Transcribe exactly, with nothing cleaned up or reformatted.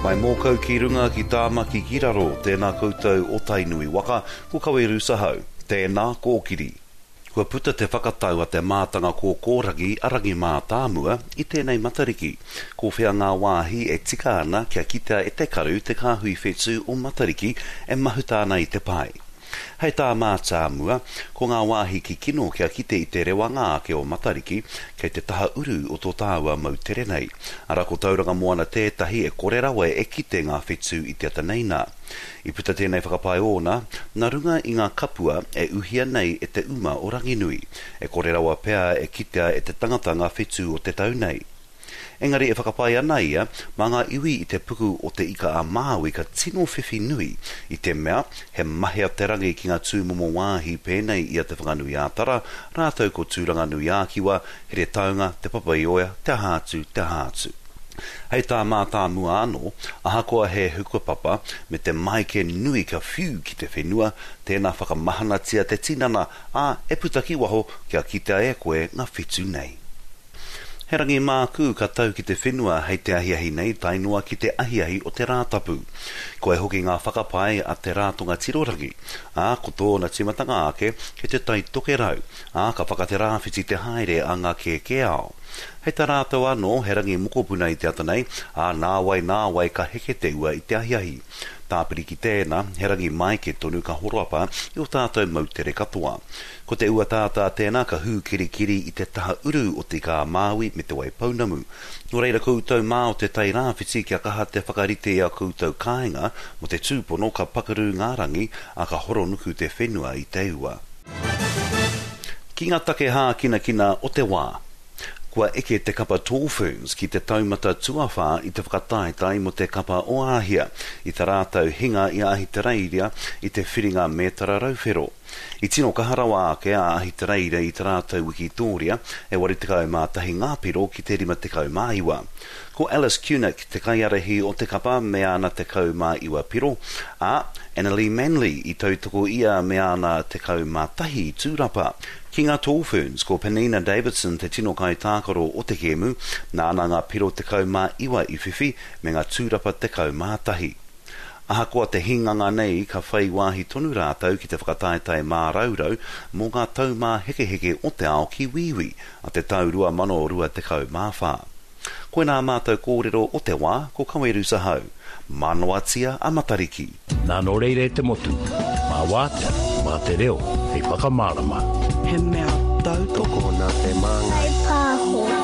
Mai Mōkau ki runga, ki Tāmaki ki raro, tēnā koutou o Tainui waka, ko Kaweru Sahau, tēnā kōkiri. Kua puta te whakatau a te mātanga kōkōrangi a Rangi Mātāmua i tēnei Matariki. Ko whea ngā wāhi e tika ana kia kitea e te karu te kāhui whetū o Matariki e mahuta ana i te pae. Hei tā Mātāmua, ko ngā wāhi kikino kia kite i te rewanga ake o Matariki kei te taha uru o tō tāua moutere nei. Ara ko Tauranga Moana tētahi e kore rawa e kite ngā whetū i te ata nei nā. I puta tēnei whakapae ōna, nā runga i ngā kapua e uhia nei e te uma o Ranginui. E kore rawa pea e kitea e te tangata ngā whetū o te tau nei. Engari e whakapae ana ia, mā ngā iwi i te puku o te Ika a Māui ka tino whiwhi nui i te mea he mahea te rangi ki ngā tūmomo wāhi pēnei i a Te Whanganui-ā-Tara, rātou ko Tūranganui-ā-Kiwa, Heretaunga, Te Papaioea, te aha atu, te aha atu. Hei tā Mātāmua anō, ahakoa he hukapapa me te maike nui ka whiu ki te whenua, tēnā whakamahanatia te tinana, ā, e puta ki waho kia kitea e koe ngā whetū nei. He rangi mākū ka tau ki te whenua hei te ahiahi nei tae noa ki te ahiahi o te Rātapu. Koe hoki ngā whakapae a te Rātonga Tirorangi, ā, ko tōna tīmatanga ake kei te Tai Tokerau, ā, ka whakaterāwhiti te haere a ngā kēkēao. Hei tā rātou anō, he rangi mokopuna i te ata nei, ā, nāwai nāwai ka heke te ua i te ahiahi. Tāpiri ki tēnā, he rangi maike tonu ka horapa i o tātou moutere katoa. Ko te ua tātā tēnā ka hūkirikiri i te taha uru o Te Ika a Māui me Te Waipounamu. Nō reira koutou mā o te Tai Rāwhiti kia kaha te whakarite i a koutou kāinga mō te tūpono ka pakaru ngā rangi, ā, ka horonuku te whenua i te ua. Ki ngā take hākinakina o te wā. Kua eke te kapa Tall Ferns ki te taumata tuawhā i te whakataetae mō te kapa o Āhia, i tā rātou hinga i a Ahitereiria i te whiringa mētara rauwhero. I tino kaha rawa ake a Ahitereiria i tā rātou wikitōria, e waru tekau mā tahi ngā piro ki te rima tekau mā iwa. Ko Alice Kunick te kaiārahi o te kapa me āna tekau mā iwa piro, ā, Annalie Manley i tautoko ia me āna tekau mā tahi tūrapa. Ki ngā Tall Ferns, ko Penina Davidson te tino kaitākaro o te kēmu, nāna ngā piro tekau mā iwa i whiwhi me ngā tūrapa tekau mā tahi. Ahakoa te hinganga nei ka whai wāhi tonu rātou ki te whakataetae māraurau mō ngā taumāhekeheke o te ao ki Wīwī a te tau rua mano rua tekau mā whā. Koinā mātou kōrero o te wā, ko Kaweru Sahau. Mānoatia a Matariki. Nā nō reira e te motu, mā wātea, mā te reo, hei whakamārama. He mea tautoko Tokona te māngai. Pāho.